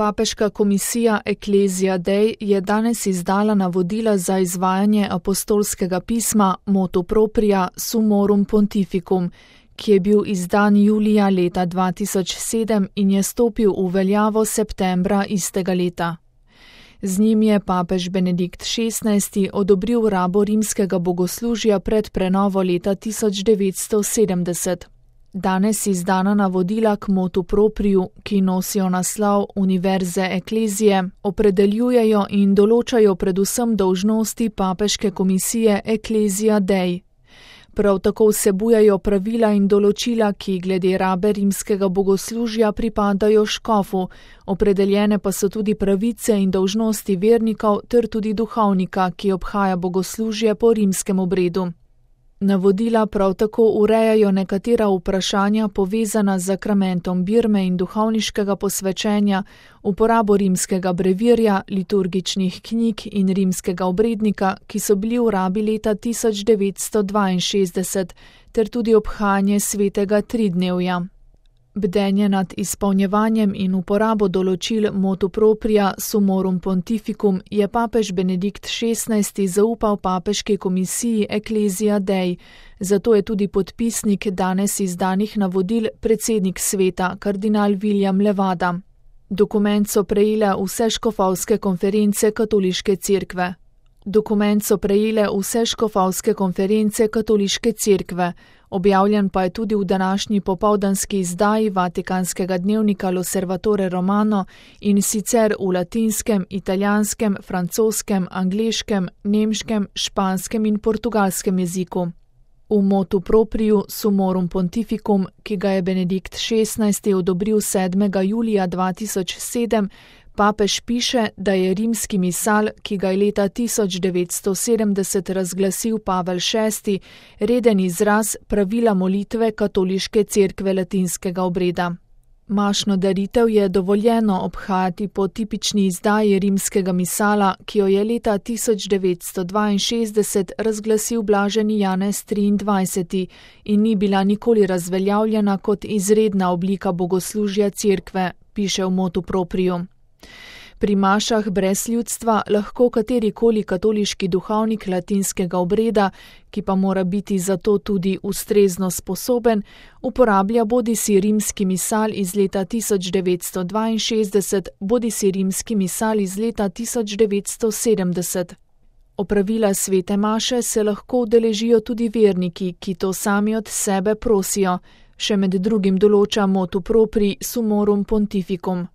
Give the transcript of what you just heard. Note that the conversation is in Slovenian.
Papeška komisija Ecclesia Dei je danes izdala navodila za izvajanje apostolskega pisma Motu Propria Summorum Pontificum, ki je bil izdan julija leta 2007 in je stopil v veljavo septembra istega leta. Z njim je papež Benedikt XVI odobril rabo rimskega bogoslužja pred prenovo leta 1970. Danes izdana navodila k Motu Propriu, ki nosijo naslov Univerze Ecclesiae, opredeljujejo in določajo predvsem dolžnosti papeške komisije Ecclesia Dei. Prav tako vsebujejo pravila in določila, ki glede rabe rimskega bogoslužja pripadajo škofu, opredeljene pa so tudi pravice in dolžnosti vernikov ter tudi duhovnika, ki obhaja bogoslužje po rimskem obredu. Navodila prav tako urejajo nekatera vprašanja povezana z zakramentom birme in duhovniškega posvečenja, uporabo rimskega brevirja, liturgičnih knjig in rimskega obrednika, ki so bili v rabi leta 1962, ter tudi obhajanje svetega tridnevja. Bdenje nad izpolnjevanjem in uporabo določil Motu Propria Summorum Pontificum je papež Benedikt XVI zaupal papeški komisiji Ecclesia Dei, zato je tudi podpisnik danes izdanih navodil predsednik sveta, kardinal William Levada. Dokument so prejele vse škofovske konference katoliške cerkve. Objavljen pa je tudi v današnji popoldanski izdaji vatikanskega dnevnika L'Osservatore Romano in sicer v latinskem, italijanskem, francoskem, angleškem, nemškem, španskem in portugalskem jeziku. V Motu Propriu Summorum Pontificum, ki ga je Benedikt XVI odobril 7. julija 2007, papež piše, da je rimski misal, ki ga je leta 1970 razglasil Pavel VI, reden izraz pravila molitve katoliške cerkve latinskega obreda. Mašno daritev je dovoljeno obhajati po tipični izdaji rimskega misala, ki jo je leta 1962 razglasil blaženi Janez 23. in ni bila nikoli razveljavljena kot izredna oblika bogoslužja cerkve, piše v Motu Propriu. Pri mašah brez ljudstva lahko katerikoli katoliški duhovnik latinskega obreda, ki pa mora biti zato tudi ustrezno sposoben, uporablja bodisi rimski misal iz leta 1962, bodisi rimski misal iz leta 1970. Opravila svete maše se lahko udeležijo tudi verniki, ki to sami od sebe prosijo, še med drugim določa Motu Proprii Summorum Pontificum.